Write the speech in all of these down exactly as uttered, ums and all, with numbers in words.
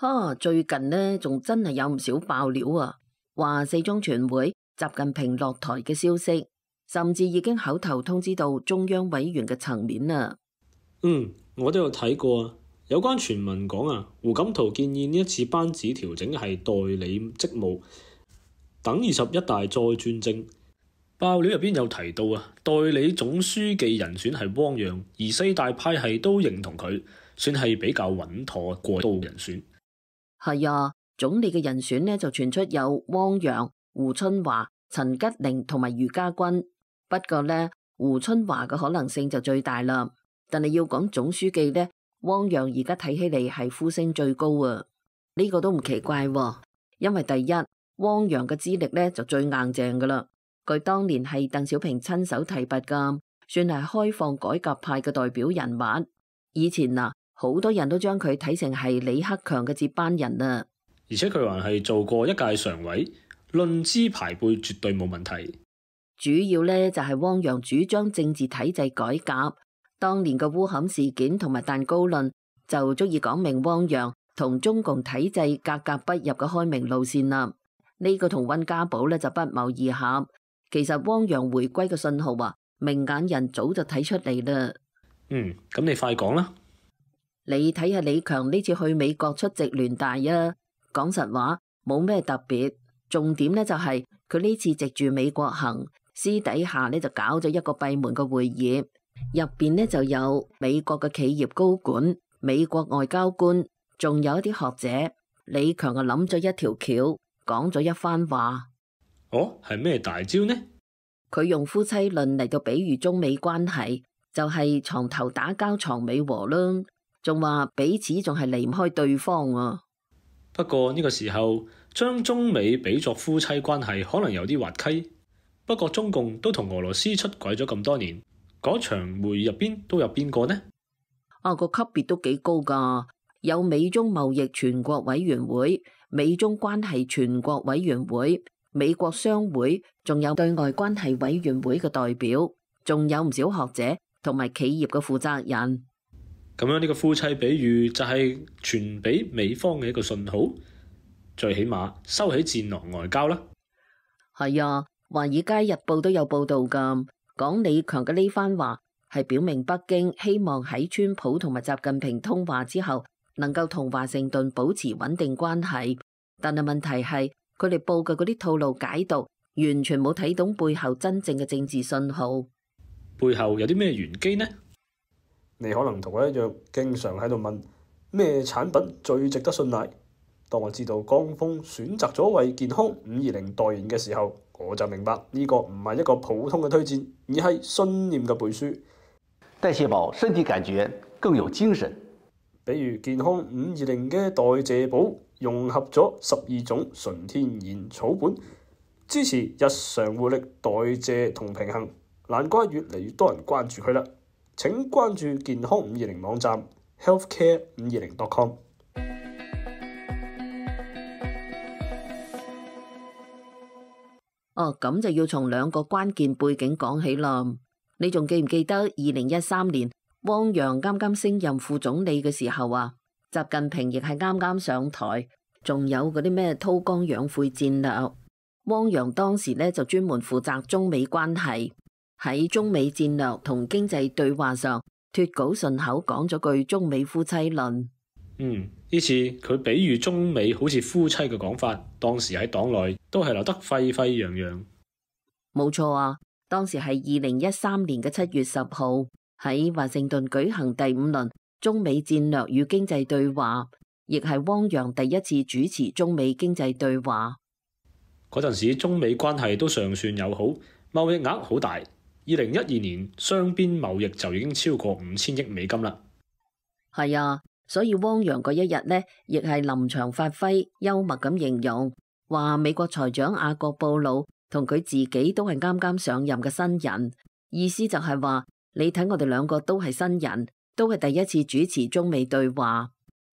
哈，最近呢仲真係有唔少爆料啊，話四中全會習近平落台嘅消息，甚至已經口頭通知到中央委員嘅層面啦。嗯，我都有睇過啊。有關傳聞講啊，胡錦濤建議呢一次班子調整係代理職務，等二十一大再轉正。爆料入邊有提到啊，代理總書記人選係汪洋，而四大派系都認同佢，算係比較穩妥過渡人選。係啊，總理嘅人選呢就傳出有汪洋、胡春華、陳吉寧同埋俞家軍。不過呢，胡春華嘅可能性就最大啦。但係要講總書記呢，汪洋而家睇起嚟係呼聲最高啊。呢個都唔奇怪喎，因為第一，汪洋嘅資歷呢就最硬淨噶啦。佢當年係鄧小平親手提拔噶，算係開放改革派嘅代表人物。以前啊，好多人都將佢睇成係李克強嘅接班人啊。而且佢還係做過一屆常委，論資排輩絕對冇問題。主要呢就係汪洋主張政治體制改革，當年嘅烏坎事件同埋蛋糕論就足以講明汪洋同中共體制格格不入嘅開明路線啦。呢個同溫家寶呢就不謀而合。其實汪洋回歸嘅信號啊，明眼人早就睇出嚟啦。嗯，咁你快講啦。你睇下李強呢次去美國出席聯大啊，講實話冇咩特別，重點呢就係佢呢次藉住美國行，私底下呢就搞咗一個閉門嘅會議，入邊呢就有美國嘅企業高管、美國外交官，仲有一啲學者。李強啊諗咗一條橋，講咗一番話。哦，係咩大招呢？佢用夫妻論嚟到比喻中美關係，就係、是、床頭打交床尾和啦。仲話彼此仲係離唔開對方啊。不過呢個時候將中美比作夫妻關係，可能有啲滑稽。不過中共都同俄羅斯出軌咗咁多年，嗰場會議入邊都有邊個呢？啊，個級別都幾高噶，有美中貿易全國委員會、美中關係全國委員會、美國商會，仲有對外關係委員會嘅代表，仲有唔少學者同埋企業嘅負責人。咁樣呢個夫妻比喻就係傳俾美方嘅一個信號，最起碼收起戰狼外交啦。係啊，華爾街日報都有報道噶，講李強嘅呢番話係表明北京希望喺川普同埋習近平通話之後，能夠同華盛頓保持穩定關係。但係問題係，佢哋報嘅嗰啲套路解讀，完全冇睇懂背後真正嘅政治信號。背後有啲咩玄機呢？你可能同我一樣，經常喺度問咩產品最值得信賴。當我知道江峰選擇咗為健康五二零代言嘅時候，我就明白呢個唔係一個普通嘅推薦，而係信念嘅背書。代謝寶身體感覺更有精神。比如健康五二零嘅代謝寶融合咗十二種純天然草本，支持日常活力、代謝同平衡，難怪越嚟越多人關注佢啦。請關注健康五二零網站 healthcare 五二零 dot com。哦，咁就要從兩個關鍵背景講起啦。你仲記唔記得二零一三年汪洋啱啱升任副總理嘅時候啊？習近平亦係啱啱上台，仲有嗰啲咩韜光養晦戰略。汪洋當時呢就專門負責中美關係，喺中美戰略同經濟對話上脫稿順口講咗句中美夫妻論。嗯，呢次佢比喻中美好似夫妻嘅講法，當時喺黨內都係鬧得沸沸揚揚。冇錯啊，當時係二零一三年嘅七月十號喺華盛頓舉行第五輪中美戰略與經濟對話，亦係汪洋第一次主持中美經濟對話。嗰陣時中美關係都尚算友好，貿易額好大。二零一二年雙邊貿易就已經超過五千億美金啦。係啊。所以汪洋嗰一日呢，亦係臨場發揮，幽默咁形容，話美國財長雅各布魯同佢自己都係啱啱上任嘅新人，意思就係話你睇我哋兩個都係新人，都係第一次主持中美對話。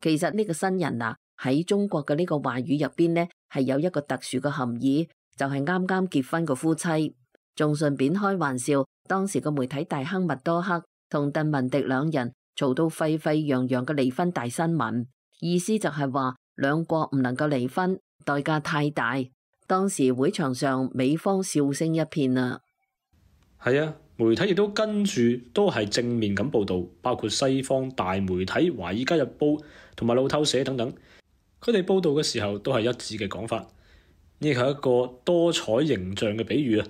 其實呢個新人啊，喺中國嘅呢個話語入邊呢，係有一個特殊嘅含義，就係啱啱結婚嘅夫妻。仲順便開玩笑，當時個媒體大亨麥多克同鄧文迪兩人嘈到沸沸揚揚嘅離婚大新聞，意思就係話兩國唔能夠離婚，代價太大。當時會場上美方笑聲一片啊。係啊，媒體亦都跟住都係正面咁報導，包括西方大媒體《華爾街日報》同埋路透社等等，佢哋報導嘅時候都係一致嘅講法。呢係一個多彩形象嘅比喻啊，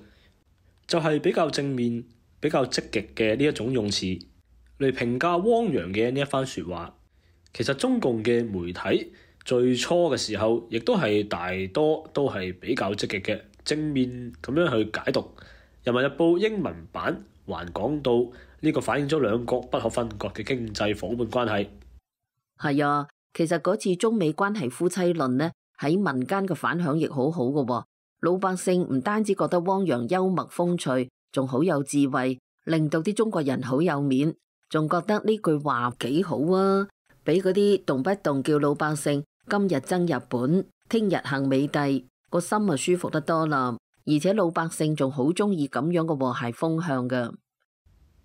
就係比較正面、比較積極嘅呢一種用詞嚟評價汪洋嘅呢一番説話。其實中共嘅媒體最初嘅時候，亦都係大多都係比較積極嘅，正面咁樣去解讀。《人民日報》英文版還講到呢個反映咗兩國不可分割嘅經濟夥伴關係。係啊，其實嗰次中美關係夫妻論呢，喺民間嘅反響亦好好嘅。老百姓唔單止覺得汪洋幽默風趣，仲好有智慧，令到啲中國人好有面，仲覺得呢句話幾好啊！俾嗰啲動不動叫老百姓今日憎日本，聽日恨美帝，個心啊舒服得多啦。而且老百姓仲好中意咁樣嘅和諧風向㗎。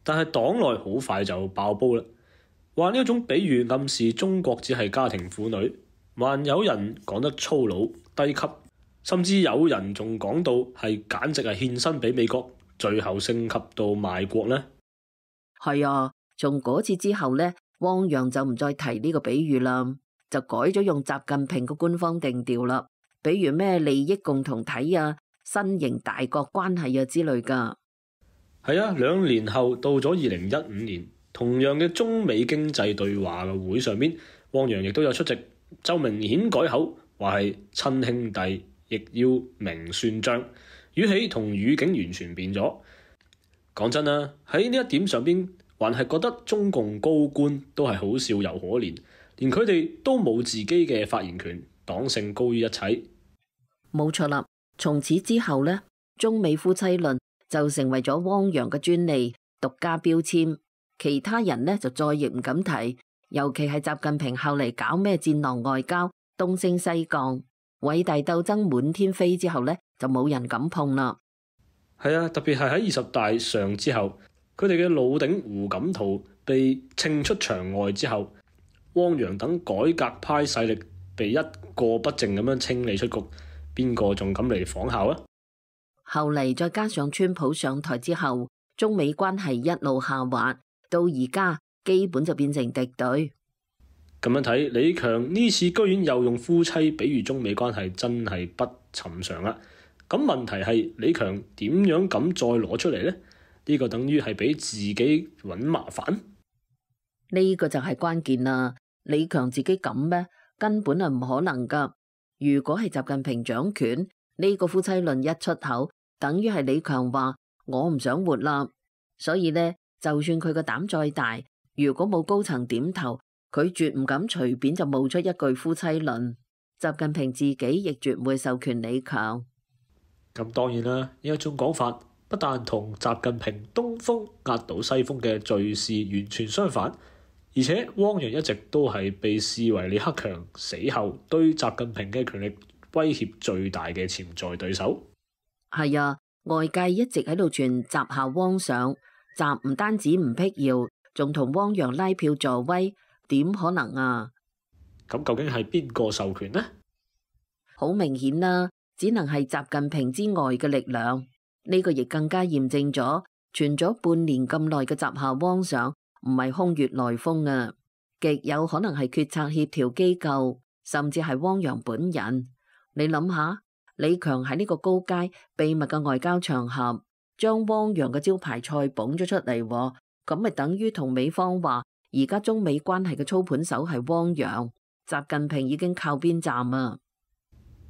但係黨內好快就爆煲啦，話呢一種比喻暗示中國只係家庭婦女，還有人講得粗魯低級，甚至有人仲講到係簡直係獻身俾美國，最後升級到賣國呢。係啊，從嗰次之後呢，汪洋就唔再提呢個比喻啦，就改咗用習近平嘅官方定調啦，比如咩利益共同體啊、新型大國關係啊之類㗎。係啊，兩年後到咗二零一五年，同樣嘅中美經濟對話嘅會上面，汪洋亦都有出席，就明顯改口，話係親兄弟，亦要明算賬，語氣同語境完全變咗。講真啦，喺呢一點上邊，還係覺得中共高官都係好笑又可憐，連佢哋都冇自己嘅發言權，黨性高於一切。冇錯啦，從此之後呢，中美夫妻論就成為咗汪洋嘅專利、獨家標籤，其他人呢就再亦唔敢提。尤其係習近平後嚟搞咩戰狼外交、東升西降、偉大鬥爭滿天飛之後呢，就冇人敢碰啦。係啊，特別係喺二十大上之後，佢哋嘅老頂胡錦濤被稱出場外之後，汪洋等改革派勢力被一個不剩咁樣清理出局，邊個仲敢嚟仿效啊？後嚟再加上川普上台之後，中美關係一路下滑，到而家基本就變成敵對。咁樣睇，李強呢次居然又用夫妻比喻中美關係，真係不尋常啦。咁問題係李強點樣敢再攞出嚟呢？呢個等於係俾自己揾麻煩。呢個就係關鍵啦。李強自己敢咩？根本係唔可能噶。如果係習近平掌權，呢個夫妻論一出口，等於係李強話我唔想活啦。所以呢，就算佢個膽再大，如果冇高層點頭，佢絕唔敢隨便就冒出一句夫妻論。習近平自己亦絕唔會授權李強。咁當然啦，呢一種講法不但同習近平東風壓倒西風嘅敘事完全相反，而且汪洋一直都係被視為李克強死後對習近平嘅權力威脅最大嘅潛在對手。係啊，外界一直喺度傳習下汪上，習唔單止唔辟謠，仲同汪洋拉票助威，點可能啊？咁究竟係邊個授權呢？好明顯啦，只能係習近平之外嘅力量。呢個亦更加驗證咗傳咗半年咁耐嘅習下汪上唔係空穴來風啊，極有可能係決策協調機構，甚至係汪洋本人。你諗下，李強喺呢個高階秘密嘅外交場合，將汪洋嘅招牌菜捧咗出嚟，咁咪等於同美方話，而家中美關係嘅操盤手係汪洋，習近平已經靠邊站啊！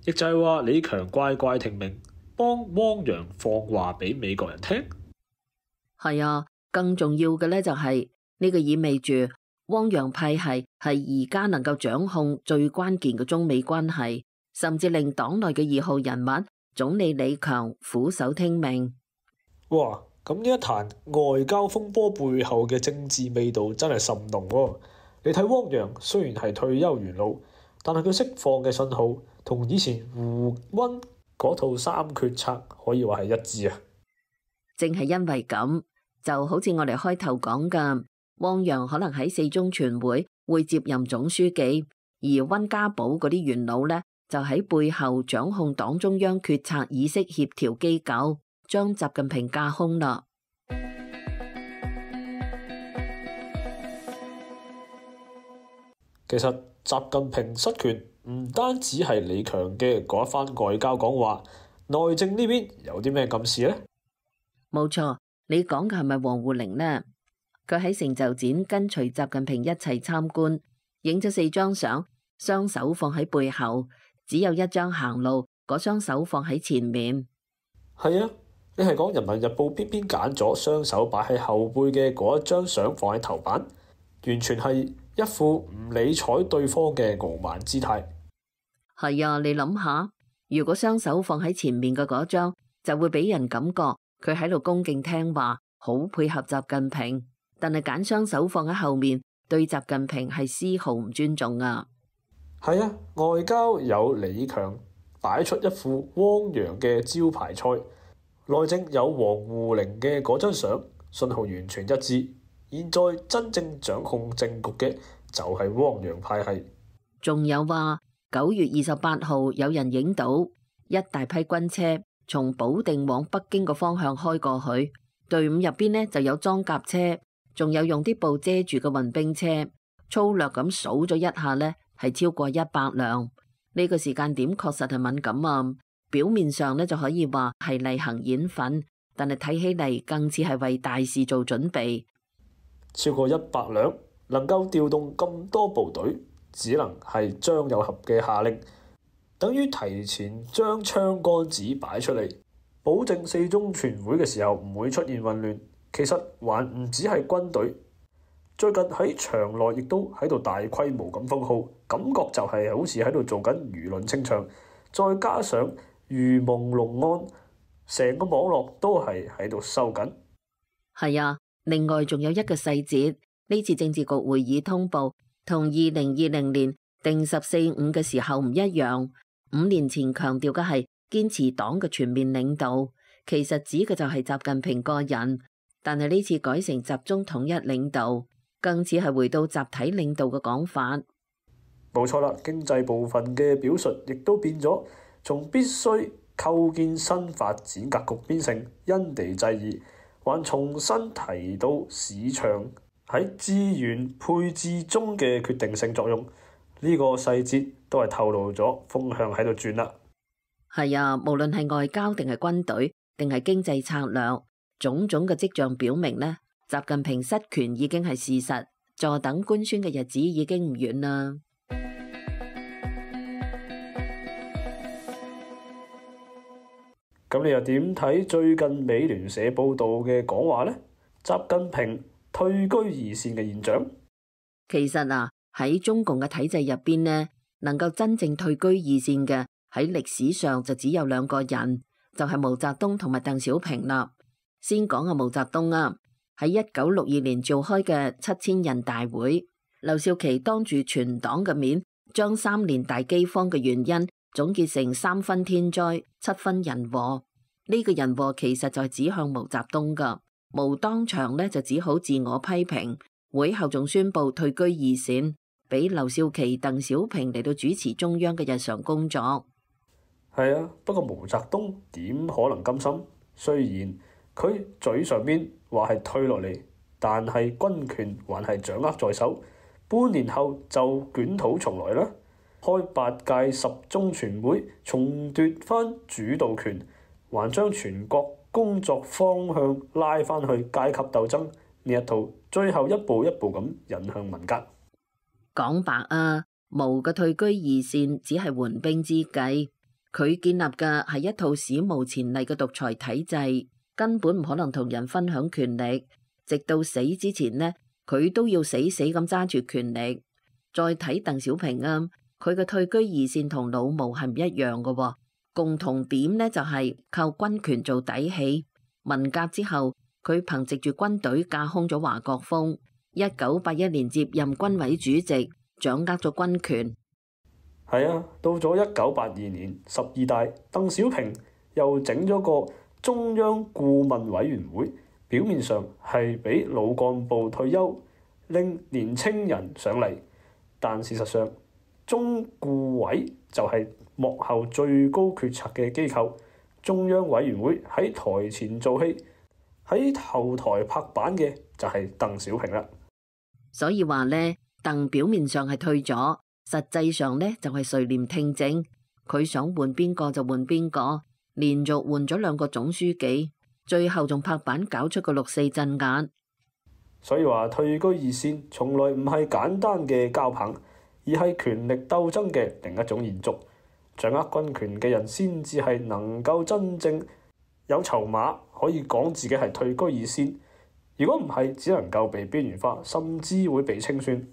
亦就係話李強乖乖聽命，幫汪洋放話俾美國人聽。係啊，更重要嘅呢就係呢個意味住汪洋派系係而家能夠掌控最關鍵嘅中美關係，甚至令黨內嘅二號人物總理李強俯首聽命。哇！咁呢一壇外交風波背後嘅政治味道真係甚濃喎。你睇汪洋雖然係退休元老，但係佢釋放嘅信號同以前胡溫嗰套三決策可以話係一致啊！正係因為咁，就好似我哋開頭講嘅，汪洋可能喺四中全會會接任總書記，而温家寶嗰啲元老呢，就喺背後掌控黨中央決策議息協調機構，將習近平架空啦。其實習近平失權唔單止係李強嘅嗰一番外交講話，內政呢邊有啲咩暗示呢？冇錯，你講嘅係咪王滬寧呢？佢喺成就展跟隨習近平一齊參觀，影咗四張相，雙手放喺背後，只有一張行路，嗰雙手放喺前面。係啊，你係講人民日報偏偏揀咗雙手擺喺後背嘅嗰一張相放喺頭版，完全係一副唔理睬對方嘅傲慢姿態。係啊，你諗下，如果雙手放喺前面嘅嗰張，就會俾人感覺佢喺度恭敬聽話，好配合習近平。但係揀雙手放喺後面，對習近平係絲毫唔尊重啊。係啊，外交有李強擺出一副汪洋嘅招牌菜，內政有王滬寧嘅嗰張相，信號完全一致。現在真正掌控政局嘅就係汪洋派系。仲有話九月二十八號有人影到一大批軍車從保定往北京個方向開過去，隊伍入邊呢就有裝甲車，仲有用啲布遮住嘅運兵車。粗略咁數咗一下呢，係超過一百輛。呢個時間點確實係敏感啊。表面上呢就可以話係例行演訓，但係睇起嚟更似係為大事做準備。超過一百輛能夠調動咁多部隊，只能係張又俠嘅下令，等於提前將槍桿子擺出嚟，保證四中全會嘅時候唔會出現混亂。其實還唔止係軍隊，最近喺場內亦都喺度大規模咁封號，感覺就係好似喺度做緊輿論清場。再加上如夢龍案，成個網絡都係喺度收緊。係啊。另外仲有一個細節，呢次政治局會議通報同二零二零年定十四五嘅時候唔一樣。五年前強調嘅係堅持黨嘅全面領導，其實指嘅就係習近平個人，但係呢次改成集中統一領導，更似係回到集體領導嘅講法。冇錯啦，經濟部分嘅表述亦都變咗，從必須構建新發展格局變成因地制宜。還重新提到市場喺資源配置中嘅決定性作用，呢個細節都係透露咗風向喺度轉啦。係啊，無論係外交定係軍隊定係經濟策略，種種嘅跡象表明呢，習近平失權已經係事實，坐等官宣嘅日子已經唔遠啦。咁你又點睇最近美聯社報道嘅講話呢？習近平退居二線嘅現象？其實啊，喺中共嘅體制入邊呢，能夠真正退居二線嘅喺歷史上就只有兩個人，就係毛澤東同埋鄧小平啦。先講下毛澤東啊，喺一九六二年召開嘅七千人大會，劉少奇當住全黨嘅面，將三年大饑荒嘅原因總結成三分天災，七分人禍。呢個人禍其實就係指向毛澤東噶，毛當場呢就只好自我批評，會後仲宣布退居二線，俾劉少奇、鄧小平嚟到主持中央嘅日常工作。係啊，不過毛澤東點可能甘心？雖然佢嘴上邊話係退落嚟，但係軍權還係掌握在手，半年後就捲土重來啦。開八屆十中全會，重奪翻主導權，還將全國工作方向拉翻去階級鬥爭呢一套，最後一步一步咁引向文革。講白啊，毛嘅退居二線只係緩兵之計，佢建立嘅係一套史無前例嘅獨裁體制，根本唔可能同人分享權力，直到死之前呢，佢都要死死咁揸住權力。再睇鄧小平啊，佢嘅退居二線同老毛係唔一樣嘅喎，共同點呢就係靠軍權做底氣。文革之後，佢憑藉住軍隊架空咗華國鋒，一九八一年接任軍委主席，掌握咗軍權。係啊，到咗一九八二年十二大，鄧小平又整咗個中央顧問委員會，表面上係俾老幹部退休，令年青人上嚟，但事實上中顧委就係幕後最高決策嘅機構，中央委員會喺台前做戲，喺後台拍板嘅就係鄧小平啦。所以話呢，鄧表面上係退咗，實際上呢就係垂簾聽政，佢想換邊個就換邊個，連續換咗兩個總書記，最後仲拍板搞出個六四鎮壓。所以話退居二線從來唔係簡單嘅交棒，而係權力鬥爭嘅另一種延續。掌握軍權嘅人先至係能夠真正有籌碼，可以講自己係退居二線。如果唔係，只能夠被邊緣化，甚至會被清算。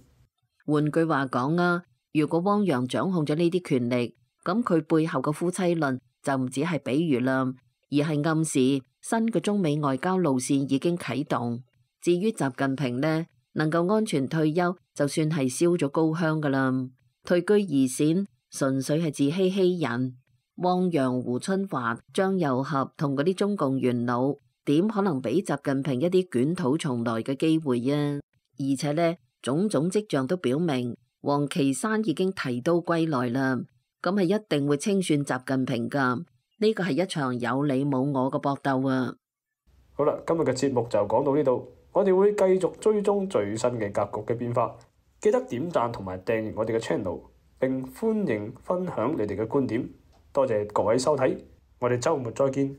換句話講啊，如果汪洋掌控咗呢啲權力，咁佢背後嘅夫妻論就唔止係比喻啦，而係暗示新嘅中美外交路線已經啟動。至於習近平呢，能夠安全退休，就算係燒咗高香噶啦。退居二線純粹係自欺欺人。汪洋、胡春華、張又俠同嗰啲中共元老，點可能俾習近平一啲捲土重來嘅機會啊？而且呢，種種跡象都表明，王岐山已經提刀歸來啦。咁係一定會清算習近平噶。呢個係一場有你冇我嘅搏鬥啊！好啦，今日嘅節目就講到呢度。我哋會繼續追蹤最新嘅格局嘅變化，記得點讚同埋訂閱我哋嘅 channel， 並歡迎分享你哋嘅觀點。多謝各位收睇，我哋週末再見。